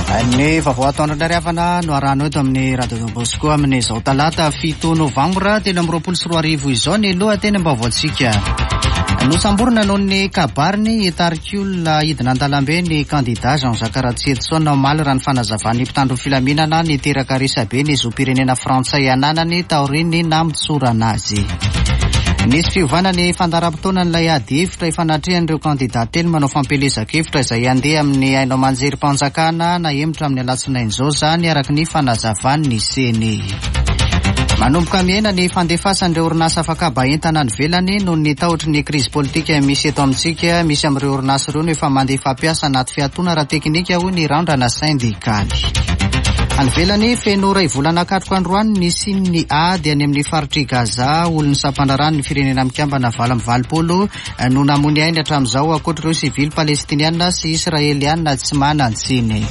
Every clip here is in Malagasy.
Ny vaovao atoandro indray ry havana no arahanao eto amin'ny Radio Don Bosco amin'izao talata 7 novambra 2023 izao ny lohatenim-baovaontsika. Nosamborina noho ny kabariny hitarika olona hidina an-dalambe ny kandida Jean-Jacques Ratsietison omaly raha ny fanazavan'ny mpitandro ny filaminana niteraka resabe ny zom-pirenena frantsay ananany taorian'ny namotsorana azy. Nisy fiovana ny fandaharam-potoanan'ilay ady hevitra ifanatrehan'ireo kandida telo manao fampielezan-kevitra izay handeha amin'ny haino aman-jerim-panjakana nahemotra amin'ny alatsinainy izao izany araka ny fanazavan'ny Ceni. Manomboka mihena ny fandefasan'ireo orinasa afakaba entana any ivelany noho ny tahotry ny krizy politika misy eto amintsika. Misy amin'ireo orinasa ireo no efa mandefa mpiasa anaty fiatoana ara-teknika hoy ny randrana sendikaly. Any ivelany, feno iray volana katroka androany ny nisian'ny ady any amin'ny faritr'i Gaza. Olon'ny sampandraharahan'ny Firenena Mikambana 88 no namoy ny ainy hatramin'izao, ankoatra ireo sivily palestiniana sy israeliana tsy manan-tsiny.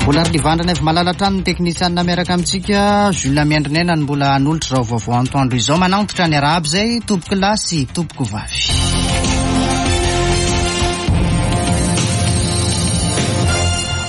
Mbola ry Livandrana avy malala hatrany ny teknisianina miaraka amintsika, Jules Miandrinena no mbola hanolotra izao vaovao antoandro izao. Manantitra ny arahaba izay, tompoko lahy sy tompoko vavy.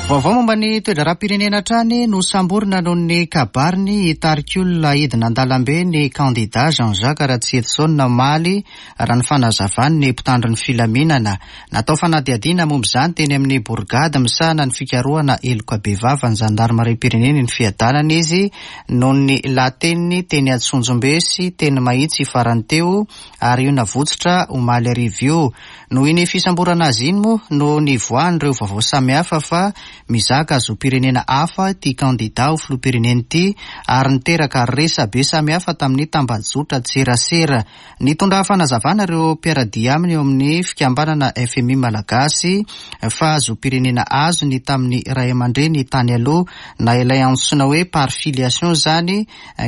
Vaovao momba ny toe-draharaham-pirenena hatrany, nosamborina noho ny kabariny hitarika olona hidina an-dalambe ny kandida Jean Jacques Ratsietison omaly, raha ny fanazavan'ny mpitandro ny filaminana. Natao fanadihadiana momba izany teny amin'ny borigady misahana ny fikarohana heloka bevava ny zandarimariam-pirenena eny Fiadanana izy noho ny lahateniny teny Antsonjombe sy teny Mahitsy farany teo ary io navotsitra omaly hariva io. Noho iny fisamborana azy iny moa no nivoahan'ireo vaovao samihafa fa mizaka zom-pirenena hafa ity kandida ho filoham-pirenena ity ary niteraka resabe samihafa tamin'ny tambajotran-tserasera. Nitondra fanazavana ireo mpiara-dia aminy eo amin'ny fikambanana fmi Malagasy fa zom-pirenena azony tamin'ny ray aman-dreny tany aloha na ilay antsoina hoe par filiation izany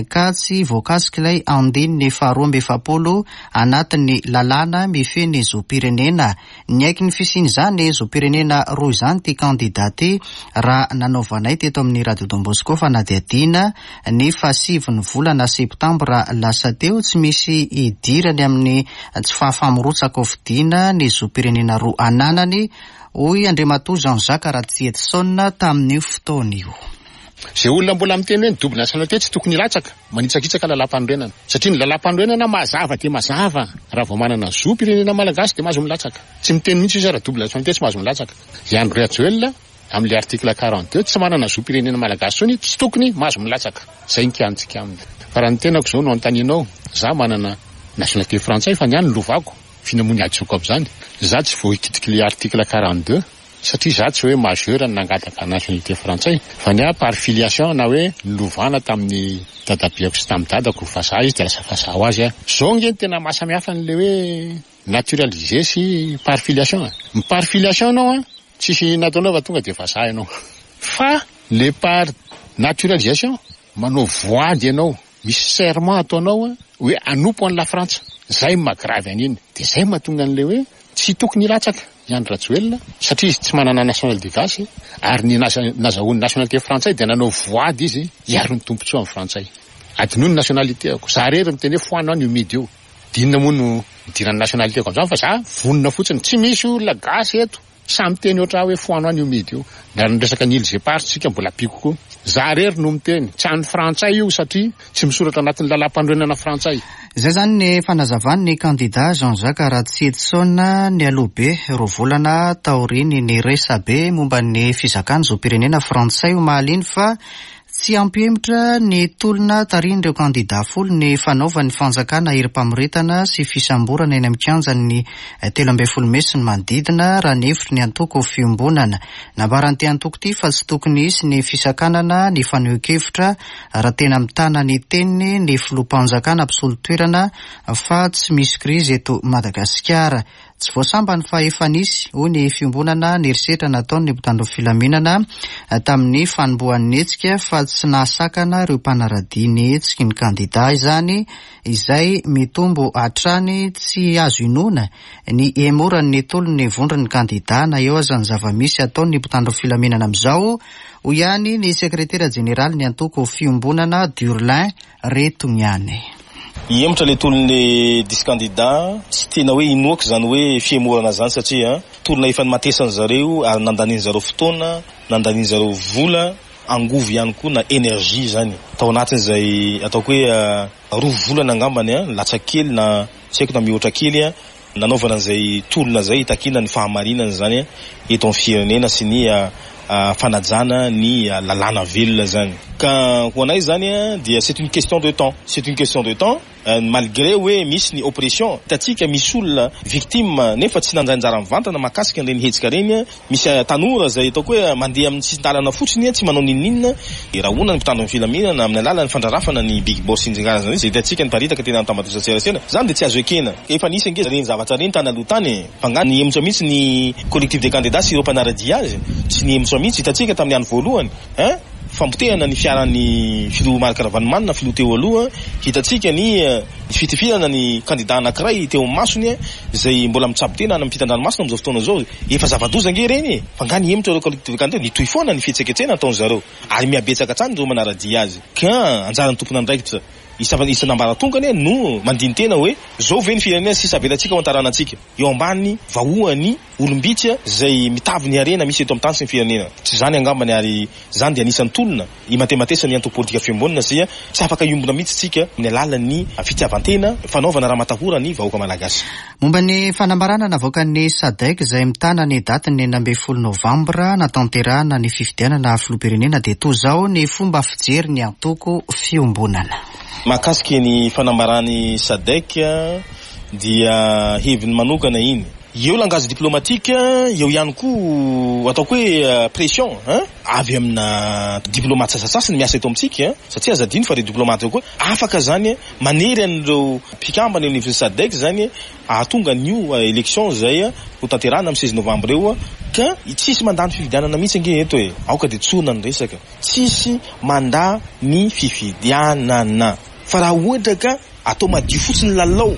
ka tsy voakasik'ilay andininy faharoa 42 anatin'ny lalàna mifehy ny zom-pirenena. Niaiky ny fisian'izany zom-pirenena roa izany ity kandida ity raha nanaovanay teto amin'ny Radio Don Bosco fanadihadiana ny fahasivin'ny volana septambra lasa teo. Tsy misy idirany amin'ny tsy fahafaha-mirotsaka hofidiana ny zom-pirenena roa ananany, hoy Andriamatoa Jean Jacques Ratsietison tamin'io fotoana io. Izay olona mbola miteny hoe ny double nationalité tsy tokony hilatsaka, manitsakitsaka lalàmpanorenana. Satria ny lalàmpanorenana mazava dia mazava, raha vao manana zo pirenena malagasy dia mahazo milatsaka. Tsy miteny mihitsy izy raha double nationalité tsy mahazo milatsaka. I Andry Rajoelina amin'ilay article 42 tsy manana zo pirenena malagasy intsony, tsy tokony mahazo milatsaka. Izay ny kiantsika aminy. Fa raha ny tenako izao no anontanianao, za manana nationalité frantsay fa ny ahy ny lovako, f'inona moa ny hadisoako amin'izany? Za tsy voakitik'ilay article 42. Satria za tsy hoe majeur no nangataka nationalité frantsay fa ny ahy par filiation na hoe nolovana tamin'ny dadabeako sy tamin'ny dadako vazaha izy dia lasa vazaha ho azy aho. Zao nge no tena mahasamihafa an'le hoe naturalisé sy par filiation e. Ny par filiation ianao an, tsisy nataonao fa tonga dia vazaha ianao. Fa le par naturalisation, manao voady ianao Misy serment ataonao hoe hanompo an'i Lafrantsa. Zay no maha grave an'iny. Dia zay no mahatonga an'ilay hoe tsy tokony hilatsaka i Andry Rajoelina satria izy tsy manana nationalité gasy ary ny nazahoany nationalité frantsay dia nanao voady izy hiaro ny tombontsoa amin'ny frantsay. Adinoy ny nationalité-ako. Za irery miteny hoe foano any io midy io. Dia inona moa no idiran'ny nationalité-ko amin'izany fa za vonona fotsiny. Tsy misy olona gasy eto. Samy miteny ohatr ahy hoe foano any io midy io. Na ny resaka ny îles éparses tsika mbola ampiako koa. Za rery no miteny. Tsy an'ny frantsay io satria tsy misoratra anatin'ny lalàmpanorenana frantsay. Izay izany ny fanazavan'ny kandida Jean Jacques Ratsietison nialoha be roa volana taorian'iny resabe momba ny fizakany zom-pirenena frantsay omaly iny fa Tsy hampihemotra ny tolona tarihin'ireo kandidà folo ny fanaovan'ny fanjakana herim-pamoretana sy fisamborana eny amin'ny kianjan'ny 13 mey sy ny manodidina, raha ny hevitry ny antoko Fiombonana. Nambaran'ity antoko ity fa tsy tokony hisy ny fisakanana ny fanehoan-kevitra raha tena mitana ny teniny ny filoham-panjakana mpisolo toerana fa tsy misy krizy eto Madagasikara. Tsy vao sambany fa efa nisy, hoy ny fiombonana, ny herisetra nataon'ny mpitandro filaminana tamin'ny fanombohan'ny hetsika fa tsy nahasakana ireo mpanaradia ny hetsiky ny kandida izany izay mitombo hatrany. Tsy azo inoana ny hihemoran'ny tolon'ny vondron'ny kandida na eo aza ny zava-misy ataon'ny mpitandro filaminana amin'izao, hoy ihany ny sekretera jeneralin'ny antoko Fiombonana, Durlin Retogniane. Hihemotra ilay tolon'ny dix candidats, tsy tena hoe inoako izany hoe fihemorana izany satria. Tolona efa nimatesan zareo ary nandanian zareo fotoana, nandanian zareo vola, angovo ihany koa na energie zany. Tao anatin'izay ataoko hoe roa volana angambany an, latsaka kely na tsy haiko na mihoatra kely an, nanaovana an'izay tolona izay hitakiana ny fahamarinana izany eto amin'ny firenena sy ny fanajana ny lalàna velona izany. Ka ho anay izany dia c'est une question de temps, c'est une question de temps. Malgré hoe misy ny oppression, hitantsika misy olona victime nefa tsy nandray anjara mivantana mahakasika an'ireny hetsika ireny, misy tanora izay ataoko hoe mandeha amin'ny sisin-dalana fotsiny tsy manao n'inon'inona, rahona ny mpitandro ny filaminana amin'ny alalan'ny fandrarafana ny big boss sy ny karazany izay hitantsika niparitaka teny amin'ny tambajotran-tserasera, izany dia tsy azo ekena. Efa nisy ange ireny zavatra ireny tany aloha tany e! Fa angaha nihemotra mihitsy ny collectif des candidats sy ireo mpanara-dia azy? Tsy nihemotra mihitsy, hitantsika tamin'ny andro voalohany hein! Famotehana ny fiaran'ny filoha Marc Ravalomanana, filoha teo aloha, hitantsika ny fitifirana ny kandida anankiray teo amin'ny masony izay mbola mitsabo tena any ampitan-dranomasina amin'izao fotoana izao. Efa zava-doza ange ireny e! Fa angaha nihemotra ireo collectif de candidats? Nitohy foana ny fihetsiketsehana ataon-dry zareo ary mihabetsaka hatrany ireo manara-dia azy. Ka anjaran'ny tompon'andraikitra isan'ambaratongany no mandini-tena hoe izao ve ny firenena sisa avelantsika ho an-taranantsika? Eo ambany vahoan'ny olom-bitsy izay mitavy ny harena misy eto amin'ny tany sy ny firenena. Tsy izany angambany ary izany dia anisan'ny tolona imatematesan'ny antoko politika Fiombonana satria tsy afaka hiombona mihitsy isika amin'ny alalan'ny fitiavan-tena, fanaovana ramatahora ny vahoaka malagasy. Momba ny fanambarana navoakan'ny Sadec izay mitana ny datin'ny 16 novambra natanterahana ny fifidianana filoham-pirenena dia toa izao ny fomba fijery ny antoko Fiombonana. Mahakasika ny fanambaran'ny Sadec dia heviny manokana iny. Eo langage diplomatique, eo ihany koa ataoko hoe pression hein, avy amina diplomate sasasasany miasa eto amintsika satria aza adino fa ireo diplomate ireo koa afaka zany manery an'ireo mpikambana eo anivon'ny Sadec zany hahatonga an'io election izay ho tanterahina amin'ny 16 novembre eo ka tsisy mandà ny fifidianana mihitsy ange eto e, aoka dia tsorina ny resaka, tsisy mandà ny fifidianana fa raha ohatra ka Atao madio fotsiny ny lalao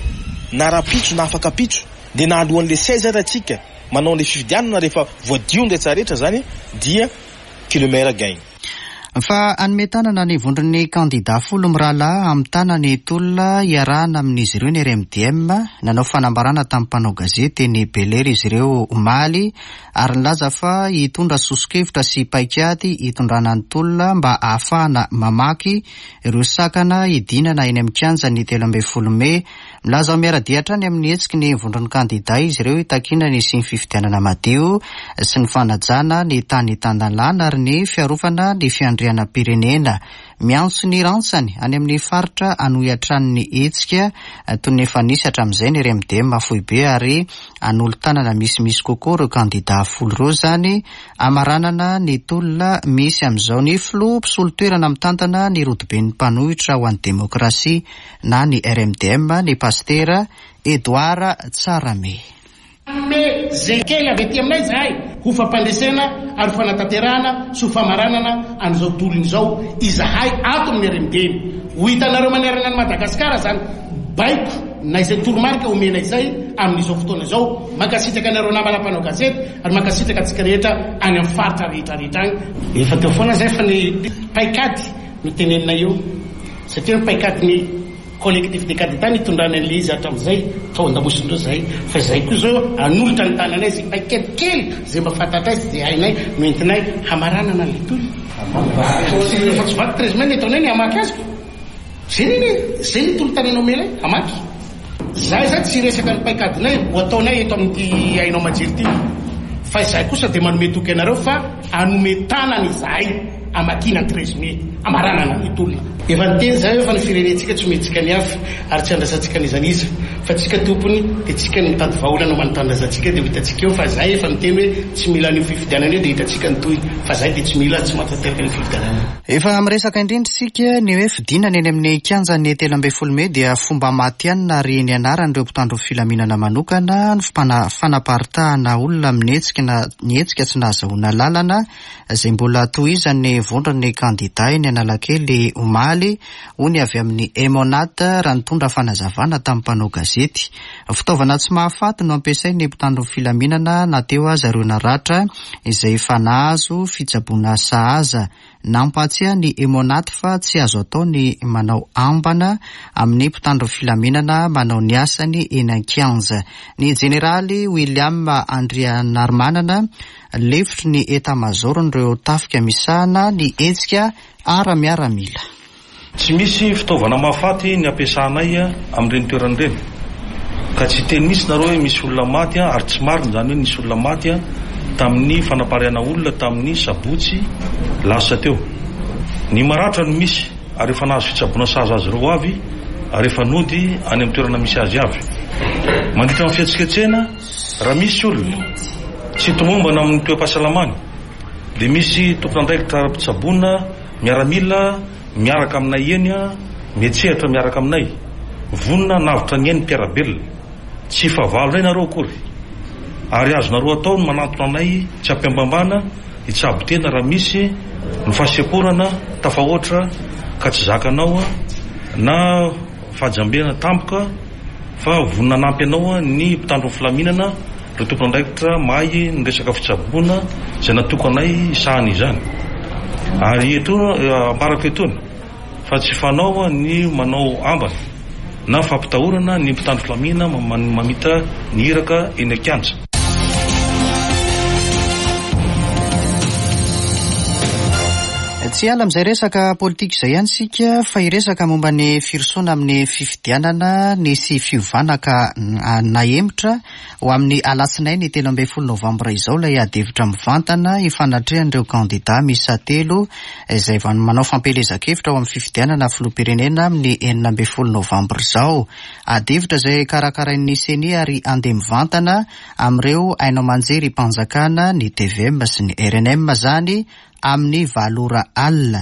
na rahampitso na afak'ampitso dia na alohan'le 16 ary atsika manao an'le fifidianana rehefa voadio ny rehetra rehetra zany dia que le meilleur gagne. Fa hanome tanana ny vondron'ny kandida folo mirahalahy hamitana ny tolona hiarahana amin'izy ireo ny RMDM. Nanao fanambarana tamin'ny mpanao gazety teny Bel'Air izy ireo omaly ary nilaza fa hitondra soso-kevitra sy paikady hitondrana ny tolona mba hahafahana mamaky ireo sakana hidinana eny amin'ny kianja ny 13 mey. Milaza ho miara-dia hatrany amin'ny hetsiky ny vondron'ny kandidà izy ireo hitakiana ny hisian'ny fifidianana madio sy ny fanajana ny tany tan-dalàna ary ny fiarovana ny fiandrianam-pirenena. Miantso ny rantsany any amin'ny faritra hanohy hatrany ny hetsika toy ny efa nisy hatramin'izay ny RMDM foibe ary hanolo-tanana misimisy kokoa ireo kandidà folo ireo izany Hamaranana ny tolona misy amin'izao ny filoha mpisolo toerana mitantana ny rodoben'ny mpanohitra ho an'ny demokrasia na ny RMDM, ny pasitera Edouard Tsarahame. Hanome izay kely avy aty aminay izahay ho fampandresena ary ho fanatanterahana sy ho famaranana an'izao tolona izao izahay ato amin'ny RMDM. Ho hitanareo manerana an'i Madagasikara izany baiko na izay toromarika omena izay amin'izao fotoana izao. Mankasitraka anareo namana mpanao gazety ary mankasitraka antsika rehetra any amin'ny faritra rehetra rehetra any. Efa teo foana izay fa ny paikady no tenenina eo satria ny paikadin'ny collectif des candidats nitondrany an'ilay izy hatramin'izay tao an-damosindreo izahay fa izahay koa izao hanolotra ny tananay izay paikady kely izay mba fantatray sy izay hainay no entinay hamaranana an'ilay tolona. Efa tsy vaky 13 mai ny ataonay ny hamaky azy ko. Zay anie zay ny tolo-tanana omenay hamaky. Izahay izany tsy hiresaka ny paikadinay ho ataonay eto amin'ity haino aman-jery ity fa izahay kosa dia manome toky anareo fa hanome tanana izahay hamakiana ny 13 mai, hamaranana ny tolona. Efa niteny izahay hoe fa ny firenentsika tsy omentsika ny hafa ary tsy andrasantsika n'iza n'iza fa tsika tompony dia tsika no mitady vahaolana ho an'ny tanindrazantsika dia ho hitantsika eo fa izahay efa niteny hoe tsy mila an'io fifidianana io dia hitantsika ny tohiny fa izahay dia tsy mila tsy mahatanteraka an'io fifidianana io. Efa miresaka indrindra isika ny hoe fidinana eny amin'ny kianjan'ny 13 mey dia fomba matihanina ary nianaran'ireo mpitandro filaminana manokana ny fanaparitahana olona amin'ny hetsika na ny hetsika tsy nahazahoana lalana izay mbola tohizan'ny vondron'ny kandida eny Analakely omaly, hoy ny avy amin'ny Emmonat raha nitondra fanazavana tamin'ny mpanao gazety. gazety. Fitaovana tsy mahafaty no ampiasain'ny mpitandro ny filaminana na teo aza ireo naratra izay efa nahazo fitsaboana sahaza. Nampahatsiahy ny Emmonat fa tsy azo atao ny manao ambana amin'ny mpitandro filaminana manao ny asany eny an-kianja. Ny jeneraly William Andrianarimanana, lefitry ny etamazaoron'ireo tafika misahana ny hetsika ara-miaramila. Tsy misy fitaovana mahafaty ny ampiasanay amin'ireny toerana ireny. Ka tsy hiteny mihitsy nareo hoe misy olona maty ary tsy marina izany hoe nisy olona maty tamin'ny fanapariahana olona tamin'ny sabotsy lasa teo. Ny maratra no misy ary efa nahazo fitsaboana sahaza azy ireo avy ary efa nody any amin'ny toerana misy azy avy. Mandritra ny fihetsiketsehana, raha misy olona tsy tomombana amin'ny toe-pahasalamany dia misy tompon'andraikitra ara-pitsaboana Miaramila miaraka aminay eny miantsehatra miaraka aminay, vonona hanavotra ny ain'ny mpiara-belona. Tsy fahavalonay nareo akory. Ary azonareo atao ny manantona anay tsy ampiambambana hitsabo tena raha misy ny fahasemporana tafahoatra ka tsy zakanao na fahajambena tampoka fa vonona hanampy anao ny mpitandro ny filaminana, ireo tompon'andraikitra mahay ny resaka fitsaboana izay natokanay hisahana izany. Ary eto ambarako etoana fa tsy fanao ny manao ambana na fampitahorana ny mpitandro filaminana mamita ny iraka eny an-kianja. Tsy hiala amin'izay resaka politika izay ihany isika fa hiresaka momba ny firosoana amin'ny fifidianana nisy fiovana ka nahemotra ho amin'ny alatsinainy 13 novambra izao ilay adihevitra mivantana hifanatrehan'ireo kandida miisa telo izay manao fampielezan-kevitra ho amin'ny fifidianana filoham-pirenena amin'ny 16 novambra izao. Adihevitra izay karakarain'ny Ceni ary handeha mivantana amin'ireo haino aman-jerim-panjakana, ny tvm sy ny rnm izany, amin'ny valo ora alina.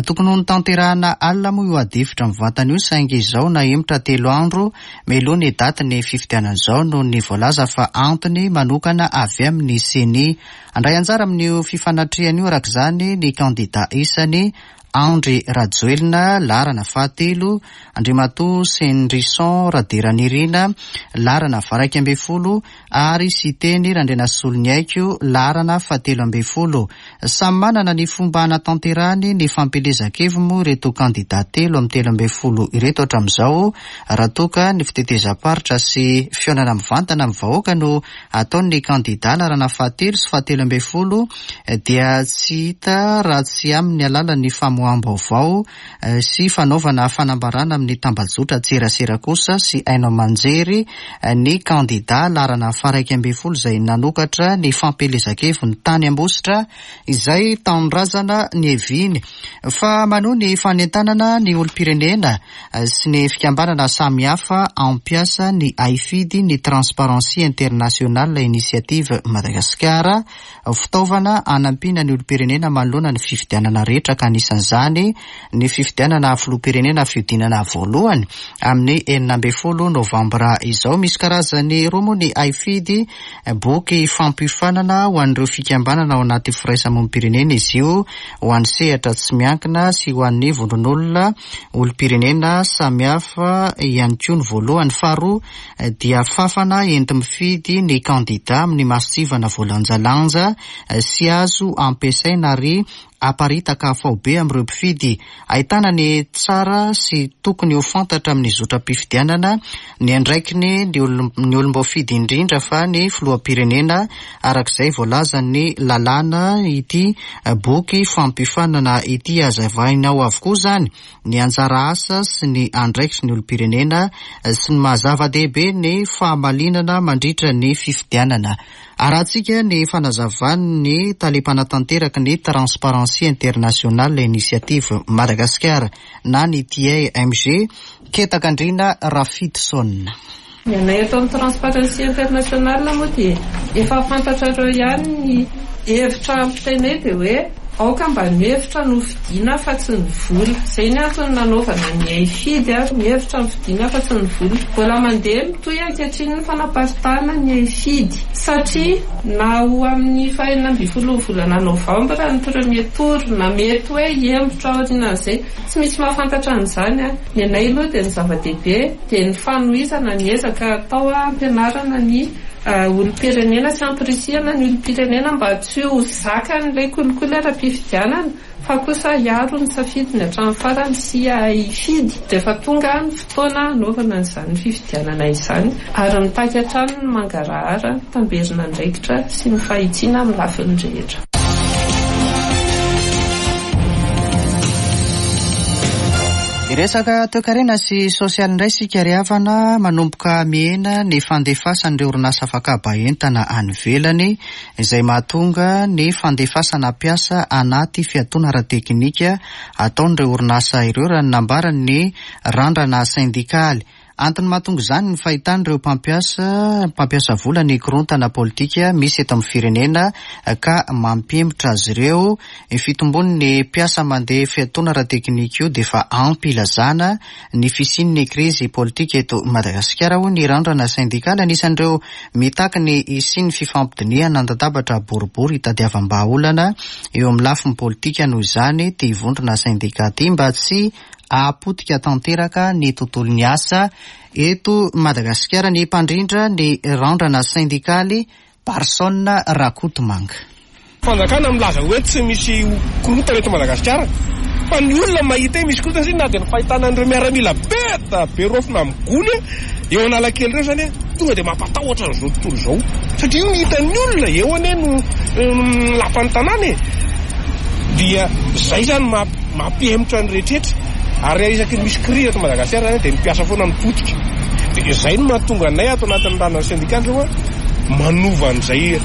Tokony ho notanterahana alina moa io adihevitra mivantana io saingy izao nahemotra telo andro mialoha ny datin'ny fifidianana izao noho ny voalaza fa antony manokana avy amin'ny Ceni. Handray anjara amin'io fifanatrehana io araka izany ny kandida isany Andry Rajoelina, laharana fahatelo, Andriamatoa Sendrison Raderanirina, laharana faha-11, ary Siteny Randrianasoloniaiko, laharana fahatelo ambin'ny folo. Samy manana ny fomba hanatanterahany ny fampielezan-keviny moa ireto kandida telo amin'ny 13 ireto hatramin'izao, raha toa ka ny fitetezam-paritra sy fihaonana mivantana amin'ny vahoaka no ataon'ny kandida laharana fahatelo sy fahatelo ambin'ny folo dia tsy hita raha tsy amin'ny alalan'ny famoaham-baovao sy fanaovana fanambarana amin'ny tambajotran-tserasera kosa sy haino aman-jery ny kandida laharana faha-11 izay nanokatra ny fampielezan-keviny tany Ambositra izay tanindrazana niaviany fa manohy ny fanentanana ny olom-pirenena sy ny fikambanana samihafa hampiasa ny haifidy ny Transparency International Initiative Madagascar, fitaovana hanampiana ny olom-pirenena manoloana ny fifidianana rehetra ka anisan'izany ny fifidianana filoham-pirenena fihodinana voalohany amin'ny 16 novambra izao. Misy karazany roa moa ny haifidy, boky fampiofanana ho an'ireo fikambanana ao anaty firaisamonim-pirenena izy io, ho an'ny sehatra tsy miankina sy ho an'ny vondron'olona olom-pirenena samihafa ihany koa ny voalohany. Faharoa dia fafana enti-mifidy ny kandida amin'ny masontsivana voalanjalanja sy azo ampiasaina ary aparitaka faobe amin'ireo mpifidy. Ahitana ny tsara sy tokony ho fantatra amin'ny zotram-pifidianana, ny andraikiny ny olom-boafidy indrindra fa ny filoham-pirenena araka izay voalazan'ny lalàna ity boky fampiofanana ity. Hazavaina ao avokoa izany ny anjara asa sy ny andraikitry ny olom-pirenena sy ny maha zava-dehibe ny fahamalinana mandritra ny fifidianana. Arahantsika ny fanazavan'ny tale mpanatanteraka ny Transparency International Initiative Madagascar na ny TIMG, Ketakandriana Rafidison. Ny anay ato amin'ny Transparency International moa dia efa fantatrareo ihany ny hevitra ampitainay dia hoe. Aoka mba ny hevitra no fidiana fa tsy ny vola. Izay ny antony nanaovana ny haifidy, ny hevitra no fidiana fa tsy ny vola. Mbola mandeha mitohy ankehitriny ny fanaparitahana ny haifidy satria na ho amin'ny faha 16 ny volana novambra ny premier tour na mety hoe hihemotra aorianan'izay. Tsy misy mahafantatra an'izany. Ny anay aloha dia ny zava-dehibe dia ny fanohizana ny ezaka atao hampianarana ny olom-pirenena sy hampirisihana ny olom-pirenena mba tsy ho zakan'ilay kolikoly ara-pifidianana fa kosa hiaro ny safidiny hatramin'ny farany sy hifidy. Dia efa tonga ny fotoana hanaovana an'izany fifidianana izany ary mitaky hatrany ny mangarahara, tamberin'andraikitra sy ny fahitsiana amin'ny lafiny rehetra. Hiresaka toekarena sy sosialy indray isika ry havana, manomboka mihena ny fandefasan'ireo orinasa afakaba entana any ivelany izay mahatonga ny fandefasana mpiasa anaty fiatoana ara-teknika ataon'ireo orinasa ireo raha ny nambaran'ny randrana sendikaly. Antony mahatonga izany ny fahitan'ireo mpampiasa mpampiasa vola ny korontana politika misy eto amin'ny firenena ka mampihemotra azy ireo. Ny fitombon'ny mpiasa mandeha fiatoana ara-teknika io dia efa ampy ilazana ny fisian'ny krizy politika eto Madagasikara, hoy ny randrana sendikaly. Anisan'ireo mitaky ny hisian'ny fifampidinihana an-databatra boribory hitadiavam-bahaolana eo amin'ny lafiny politika noho izany ity vondrona sendika ity mba tsy hahapotika tanteraka ny tontolon'ny asa eto Madagasikara ny mpandrindra ny randrana sendikaly Barson Rakotomanga. Fanjakana milaza hoe tsy misy korontana eto Madagasikara fa ny olona mahita hoe misy korontana satria na dia ny fahitana an'ireo miaramila be da be raofina amin'ny gony eo Analakely ireo izany tonga dia mampatahotra an'izao tontolo izao satria io no hitan'ny olona eo anie no lapan'ny tanàna e dia izay izany mampihemotra ny rehetretra ary isaky ny misy crise eto Madagasikara izany dia ny mpiasa foana no potika dia izay no mahatonga anay ato anatin'ny randrana syndikaly izao manova an'izay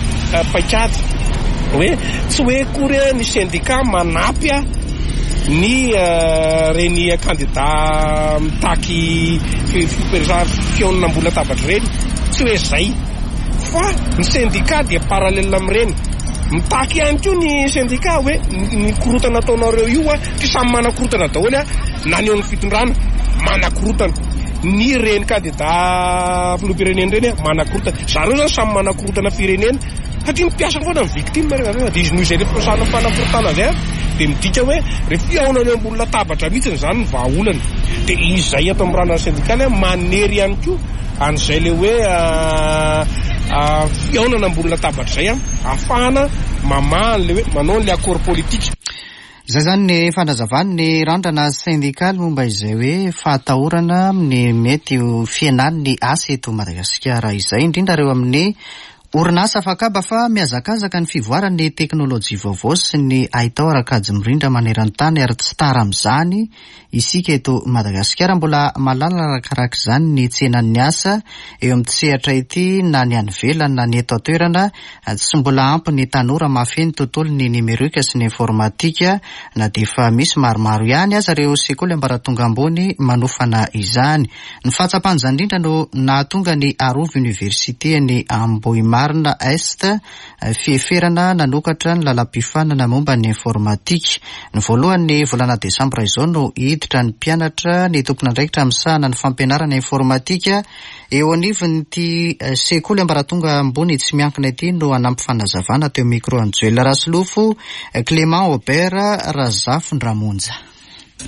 paikady hoe tsy hoe akory ny syndicat manampy ny reny kandida mitaky fihaonana ambony latabatra ireny, tsy hoe izay fa ny syndicat dia parallèle amin'ireny, mitaky ihany koa ny syndicat hoe ny korontana ataonareo io tsy samy manakorontana daholo na ny eo amin'ny fitondrana manakorontana, ny reny kandida filoham-pirenena ireny manakorontana, zareo zany samy manakorontana firenena. Satria ny mpiasa foana no victime rehefa avy eo, dia izy noho izay le fanakorotana izay dia midika hoe rehefa fihaonana eo ambony latabatra mihitsy izany ny vahaolana. Dia izay ato amin'ny randrana sendikaly manery ihany koa an'izay le hoe fihaonana ambony latabatra izay ahafahana mamaha an'le hoe manao an'le accord politique. Izay izany ny fanazavan'ny randrana sendikaly momba izay hoe fahatahorana amin'ny mety ho fihenan'ny asa eto Madagasikara izay, indrindra ireo amin'ny orinasa afakaba fa mihazakazaka ny fivoaran'ny teknolojia vaovao sy ny haitao ara-kajy mirindra maneran-tany ary tsy tara amin'izany isika eto Madagasikara. Mbola malala arakaraka izany ny tsenan'ny asa eo amin'ity sehatra ity na ny any ivelany na ny eto an-toerana. Tsy mbola ampy ny tanora mahafehy ny tontolon'ny nimerika sy ny informatika na dia efa misy maromaro ihany aza ireo sekoly ambaratonga ambony manofana izany. Ny fahatsapana izany indrindra no nahatonga ny Arovy Université any Ambohimarina Est fieferana nanokatra ny lalam-piofanana momba ny informatika. Ny voalohan'ny volana desambra izao no hiditra ny mpianatra ny tompon'andraikitra misahana ny fampianarana informatika eo anivon'ity sekoly ambaratonga ambony tsy miankina ity no hanampy fanazavana teo micro an'i Joel Rasolofo, Clément Aubert Razafindramonja.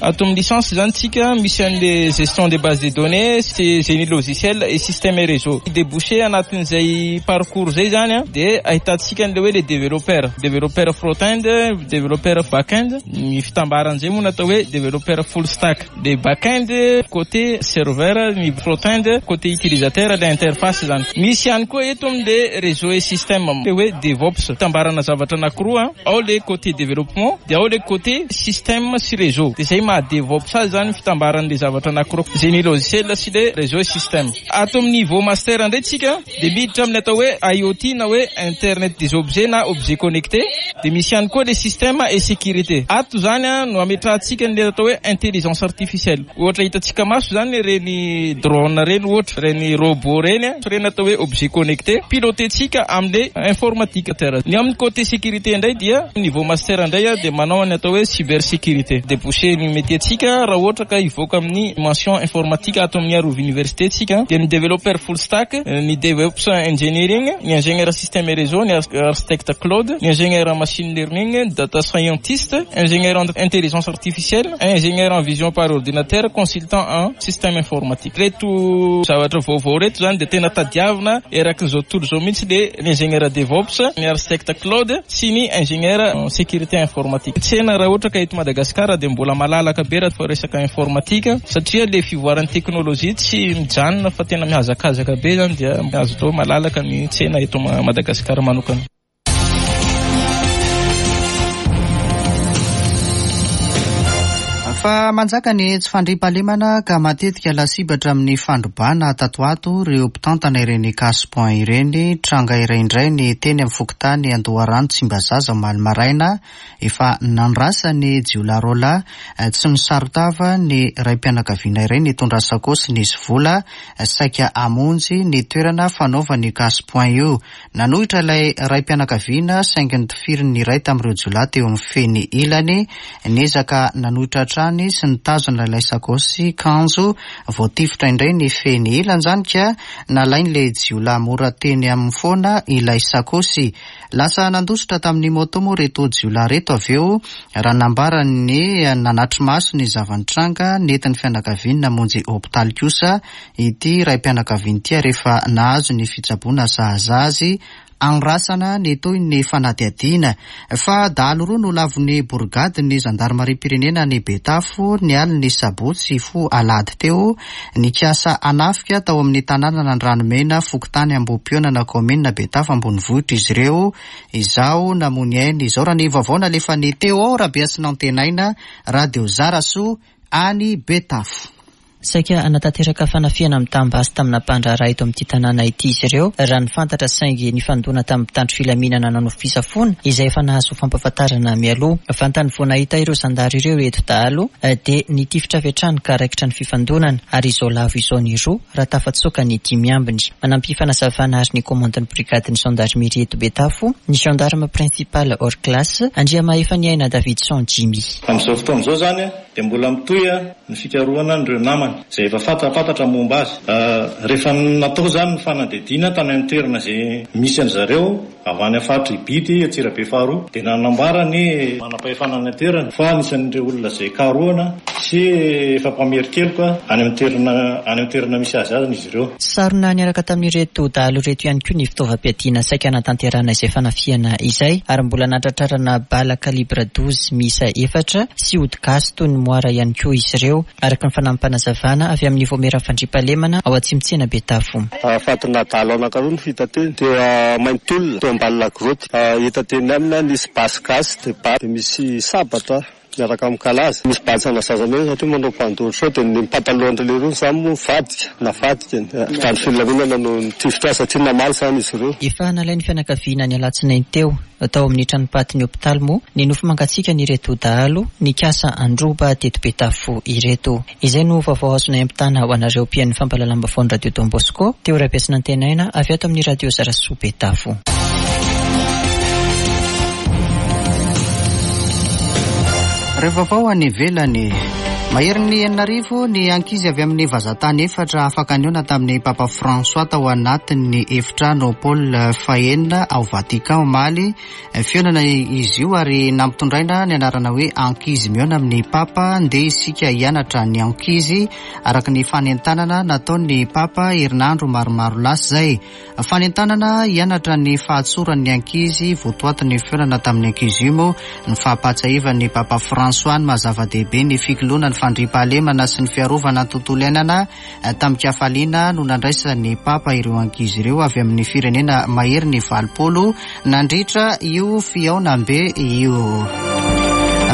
Ato amin'ny licence izany tsika misy an'le gestion des bases de données sy génie logiciel et système et réseau. Débouché anatin'izay parcours zay zany a dia ahitantsika an'le hoe le développeur, développeur front-end, développeur back-end, ny fitambaran'izay moa no atao hoe développeur full stack. Le back-end côté serveur, ny front-end côté utilisateur, le interface zany. Misy ihany koa eto amin'le réseau et système le hoe DevOps, fitambarana zavatra anankiroa. Ao le côté développement dia ao le côté système sy réseau. Dia Zay maha DevOps azy zany fitambaran'le zavatra anankiroa, génie logiciel sy le réseau et système. Ato amin'ny niveau master indray tsika dia miditra amin'ny atao hoe IoT na hoe internet des objets na objets connectés, dia misy ihany koa le système et sécurité. Ato zany no ametrahantsika an'le atao hoe intelligence artificielle. Ohatra hitantsika maso zany ireny drone ireny ohatra, ireny robot ireny, ireny atao hoe objet connecté, piloter-tsika amin'le informatique. Ny amin'ny côté sécurité indray dia niveau master indray dia manao ny atao hoe cybersécurité. Débouché ny métier-tsika raha ohatra ka hivoaka amin'ny mention informatique ato amin'ny Arovy Université tsika dia ny développeur full stack, ny DevOps engineering, ny ingénieur système et réseau, ny architecte cloud, ny ingénieur machine learning, data scientist, ingénieur en intelligence artificielle, ingénieur en vision par ordinateur, consultant en système informatique. Ireto zavatra vaovao ireto izany dia tena tadiavina erakin'izao tontolo izao mihitsy le ny ingénieur DevOps, ny architecte cloud sy ny ingénieur en sécurité informatique. Tsena raha ohatra ka eto Madagasikara dia mbola malalaka be raha resaka informatique satria le fivoaran'ny teknolojia tsy mijanona fa tena mihazakazaka be izany dia azo atao hoe malalaka ny tsena eto Madagasikara manokana. Fa manjaka ny tsy fandriampahalemana ka matetika lasibatra amin'ny fandrobana tato ato ireo mpitantana ireny cash point ireny. Tranga iray indray ny teny amin'ny fokontany Andoharano Tsimbazaza omaly maraina. Efa nandrasan'ny jiolahy roalahy tsy nisaron-tava ny raim-pianakaviana iray nitondra sakaosy nisy vola saika hamonjy ny toerana fanaovany cash point io. Nanohitra ilay raim-pianakaviana saingy notifirin'ny iray tamin'ireo jiolahy teo amin'ny feny ilany. Niezaka nanohitra hatrany sy nitazona ilay sakaosy kanjo voatifitra indray ny feny ilany izany ka nalain'ilay jiolahy mora teny aminy foana ilay sakaosy. Lasa nandositra tamin'ny moto moa ireto jiolahy ireto avy eo raha nambaran'ny nanatri-maso ny zava-nitranga. Nentin'ny fianakaviany namonjy hopitaly kosa Ity raim-pianakaviana ity ary efa nahazo ny fitsaboana sahaza azy andrasana ny tohin'ny fanadihadiana. Fa dahalo roa no lavon'ny borigadin'ny zandarimariam-pirenena any Betafo ny alin'ny sabotsy hifoha alahady teo, nikasa hanafika tao amin'ny tanànan'Andranomena, fokontany Ambohipihaonana, kaominina Betafo ambonivohitra izy ireo. Izaho namoy ny ainy izao raha ny vaovao nalefan'i Théo Rabehasinantenaina, Radio Zarasoa, any Betafo. Saika hanatanteraka fanafihana mitam-basy tamina mpandraharaha eto amin'ity tanàna ity izy ireo, raha ny fantatra, saingy nifandona tamin'ny mpitandro filaminana nanao fisafoana, izay efa nahazo fampahafantarana mialoha. Vantany vao nahita ireo zandary ireo ireto dahalo dia nitifitra avy hatrany ka raikitra ny fifandonana, ary izao lavo izao ny roa raha tafatsoaka ny dimy ambiny. Manampy fanazavana ary ny komandin'ny brigadin'ny zandarimeria eto Betafo, ny gendarme principal hors classe, Andriamahefaniaina Davidson Jimmy. Amin'izao fotoana izao izany dia mbola mitohy ny fikarohana an'ireo namany izay efa fantapantatra momba azy. Rehefa natao izany ny fanadihadiana tany amin'ny toerana izay misy an-dry zareo avy any amin'ny faritra Ibity, Antsirabe faharoa, dia nanambara ny manam-pahefana any an-toerana fa anisan'ireo olona izay karohana sy efa mpamerin-keloka any amin'ny toerana any amin'ny toerana misy azy azy izy ireo. Sarona niaraka tamin'ireto dahalo ireto ihany koa ny fitaovam-piadiana saika hanatanterahana izay fanafihana izay ary mbola nahatratrarana bala calibre 12 miisa efatra sy ody gasy toy ny moara ihany koa izy ireo, araka ny fanampim-panazavana avy amin'ny Vaomieran'ny Fandriampahalemana ao Atsimotsena Betafo. Fatina dahalo anankiroa no hita teny, teo Maintiolona, teo ambany lagroty. Hita teny aminy nisy basy gasy dia basy misy sabatra miaraka amin'ny kalaza. Misy batsana zaza mena satria manao pandoro sao dia ny patalohan-dry leroa izany moa nivadika, navadika. Mpitandro filaminana no nitifitra azy satria namaly izany izy ireo. Efa nalain'ny fianakaviana ny alatsinainy teo. Tao amin'ny tranompatin'ny hopitaly moa ny nofo mangatsiakan'ireto dahalo nikasa handroba teto Betafo ireto. Izay no vaovao azonay ampitana ho anareo mpihaino ny fampahalalam-baovaon'ny Radio Don Bosco, Teo Rabesinantenaina avy ato amin'ny Radio Zarasoa Betafo. Ireo vaovao any ivelany. Maherin'ny 6000 ny ankizy avy amin'ny vazantany efatra afaka nihaona tamin'ny Papa François tao anatin'ny efitrano Paul fahenina ao Vatican omaly. Fihaonana izy io ary nampitondraina ny anarana hoe Ankizy mihaona amin'ny Papa. Ndeha isika hianatra ny ankizy araka ny fanentanana nataon'ny Papa herinandro maromaro lasa izay. Fanentanana hianatra ny fahatsoran'ny ankizy votoatin'ny fihaonana tamin'ny ankizy io moa ny fampahatsiahivan'ny Papa François ny maha zava-dehibe ny fikoloana ny fandriampahalemana sy ny fiarovana ny tontolo iainana. Tamin-kafaliana no nandraisan'ny Papa ireo ankizy ireo avy amin'ny firenena mahery ny 80 nandritra io fihaonambe io.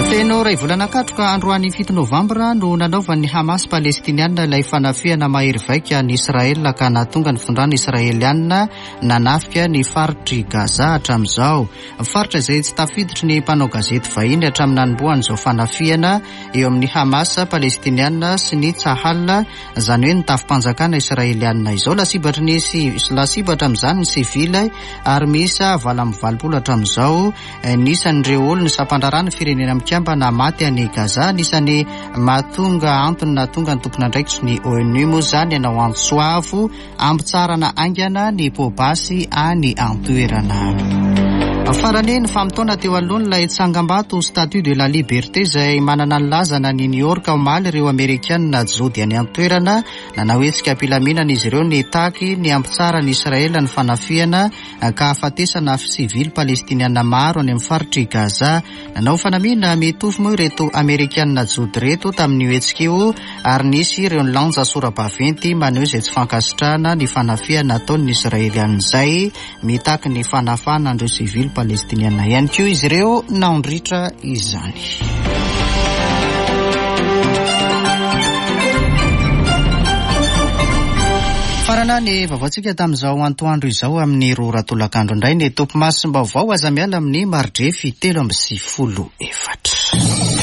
Feno iray volana katroka androany 7 novambra no nanaovan'ny Hamas palestiniana ilay fanafihana mahery vaika an'i Israel ka nahatonga ny fitondrana israeliana nanafika ny faritr'i Gaza hatramin'izao. Faritra izay tsy tafiditry ny mpanao gazety vahiny hatramin'ny nanombohan'izao fanafihana eo amin'ny Hamas palestiniana sy ny Tsahal, izany hoe ny tafi-panjakana israeliana izao. Lasibatry ny lasibatra amin'izany ny sivily ary miisa 88 hatramin'izao ny isan'ireo olon'ny sampandraharaha ny Firenena Mikambana maty any Gaza. Anisan'ny mahatonga antony nahatonga ny tompon'andraikitry ny ONU moa izany hanao antso avo Hampitsaharana haingana ny poa-basy any an-toerana. Farany, ny famotoana teo alohan'ilay tsangambato Statue de la Liberté izay manana ny lazany any New York omaly ireo Amerikana jody any an-toerana. Nanao hetsika am-pilaminana izy ireo nitaky ny hampitsaharan'i Israel ny fanafihana ka hahafatesana sivily palestiniana maro any amin'ny faritr'i Gaza. Nanao fanamiana mitovy moa ireto Amerikana Jody ireto tamin'io hetsika io ary nisy ireo nilanja sora-baventy maneho izay tsy fankasitrahana ny fanafihana ataon'ny Israeliana izay mitaky ny fanafahana an'ireo sivily palestiniana ihany koa izy ireo nandritra izany. Farana ny vaovaontsika tamin'izao antoandro izao amin'ny roa ora tolakandro indray ny topimasom-baovao aza miala amin'ny maridrefy 94.